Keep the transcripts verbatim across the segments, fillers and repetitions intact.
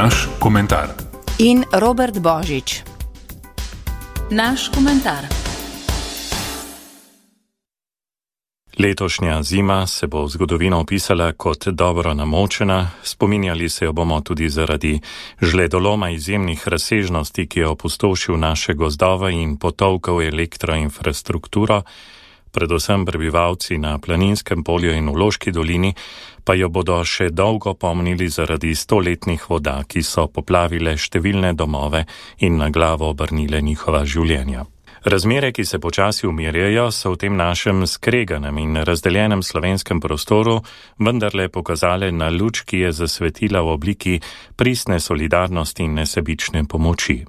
Naš komentar. In Robert Božič. Naš komentar. Letošnja zima se bo v zgodovino opisala kot dobro namočena, spominjali se jo bomo tudi zaradi žledoloma izjemnih razsežnosti, ki je opustošil naše gozdove in potolkal elektroinfrastrukturo, predvsem prebivalci na Planinskem polju in v Loški dolini, pa jo bodo še dolgo pomnili zaradi stoletnih voda, ki so poplavile številne domove in na glavo obrnile njihova življenja. Razmere, ki se počasi umirjajo, so v tem našem skreganem in razdeljenem slovenskem prostoru vendarle pokazale na luč, ki je zasvetila v obliki pristne solidarnosti in nesebične pomoči.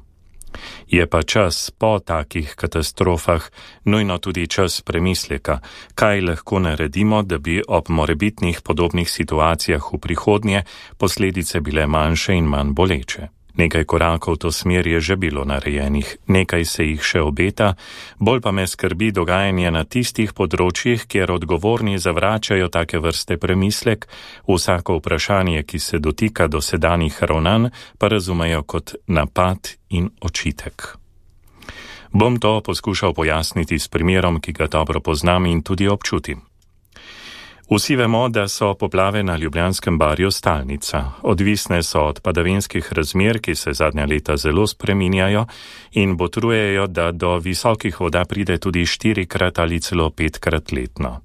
Je pa čas po takih katastrofah nujno tudi čas premisleka, kaj lahko naredimo, da bi ob morebitnih podobnih situacijah v prihodnje posledice bile manjše in manj boleče. Nekaj korakov v to smer je že bilo narejenih, nekaj se jih še obeta, bolj pa me skrbi dogajanje na tistih področjih, kjer odgovorni zavračajo take vrste premislek, vsako vprašanje, ki se dotika dosedanjih ravnanj, pa razumejo kot napad in očitek. Bom to poskušal pojasniti s primerom, ki ga dobro poznam in tudi občutim. Vsi vemo, da so poplave na Ljubljanskem barju stalnica. Odvisne so od padavinskih razmer, ki se zadnja leta zelo spreminjajo in botrujejo, da do visokih voda pride tudi štirikrat ali celo petkrat letno.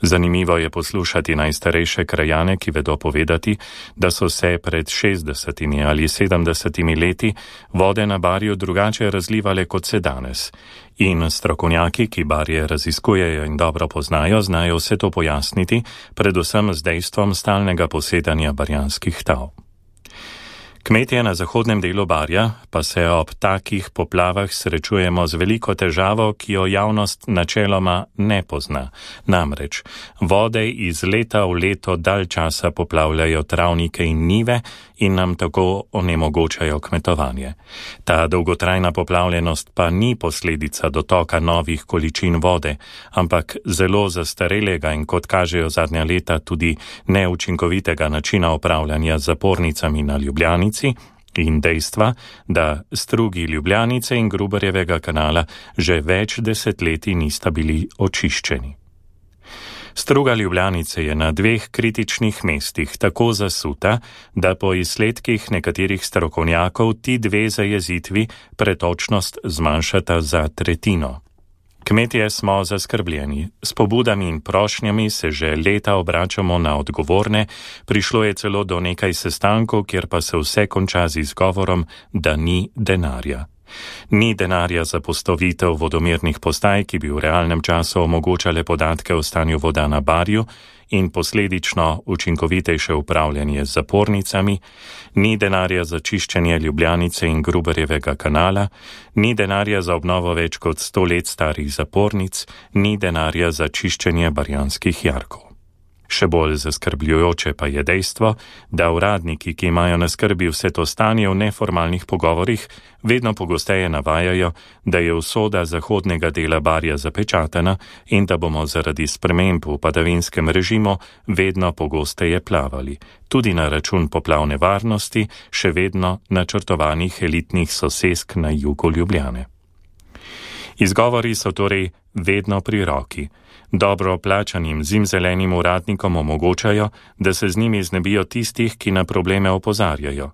Zanimivo je poslušati najstarejše krajane, ki vedo povedati, da so se pred šestdesetimi ali sedemdesetimi leti vode na barju drugače razlivale kot se danes. In strokovnjaki, ki barje raziskujejo in dobro poznajo, znajo vse to pojasniti, predvsem z dejstvom stalnega posedanja barjanskih tav. Kmetje na zahodnem delu barja pa se ob takih poplavah srečujemo z veliko težavo, ki jo javnost načeloma ne pozna. Namreč vode iz leta v leto dalj časa poplavljajo travnike in njive in nam tako onemogočajo kmetovanje. Ta dolgotrajna poplavljenost pa ni posledica dotoka novih količin vode, ampak zelo zastarelega in, kot kažejo zadnja leta, tudi neučinkovitega načina upravljanja z zapornicami na Ljubljanici in dejstva, da strugi Ljubljanice in Gruberjevega kanala že več desetletij nista bili očiščeni. Struga Ljubljanice je na dveh kritičnih mestih tako zasuta, da po izsledkih nekaterih strokovnjakov ti dve zajezitvi pretočnost zmanjšata za tretjino. Kmetje smo zaskrbljeni. S pobudami in prošnjami se že leta obračamo na odgovorne, prišlo je celo do nekaj sestankov, kjer pa se vse konča z izgovorom, da ni denarja. Ni denarja za postavitev vodomernih postaj, ki bi v realnem času omogočale podatke o stanju voda na barju in posledično učinkovitejše upravljanje z zapornicami, ni denarja za čiščenje Ljubljanice in Gruberjevega kanala, ni denarja za obnovo več kot sto let starih zapornic, ni denarja za čiščenje barjanskih jarkov. Še bolj zaskrbljujoče pa je dejstvo, da uradniki, ki imajo na skrbi vse to stanje v neformalnih pogovorih, vedno pogosteje navajajo, da je usoda zahodnega dela barja zapečatena in da bomo zaradi sprememb v padavinskem režimu vedno pogosteje plavali, tudi na račun poplavne varnosti še vedno načrtovanih elitnih sosesk na jugu Ljubljane. Izgovori so torej vedno pri roki. Dobro plačanim zimzelenim uradnikom omogočajo, da se z njimi znebijo tistih, ki na probleme opozarjajo.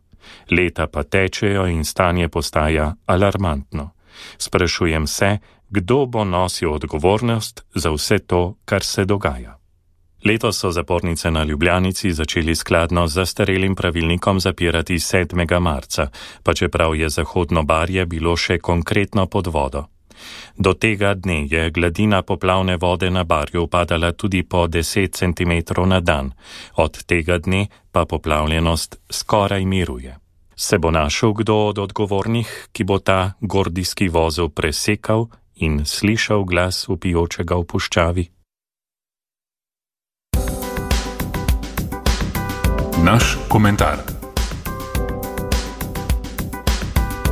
Leta pa tečejo in stanje postaja alarmantno. Sprašujem se, kdo bo nosil odgovornost za vse to, kar se dogaja. Letos so zapornice na Ljubljanici začeli skladno z zastarelim pravilnikom zapirati sedmega marca, pa čeprav je zahodno barje bilo še konkretno pod vodo. Do tega dne je gladina poplavne vode na barju upadala tudi po deset centimetrov na dan, od tega dne pa poplavljenost skoraj miruje. Se bo našel kdo od odgovornih, ki bo ta gordijski vozel presekal in slišal glas vpijočega v puščavi? Naš komentar.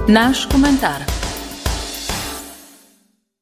Naš komentar.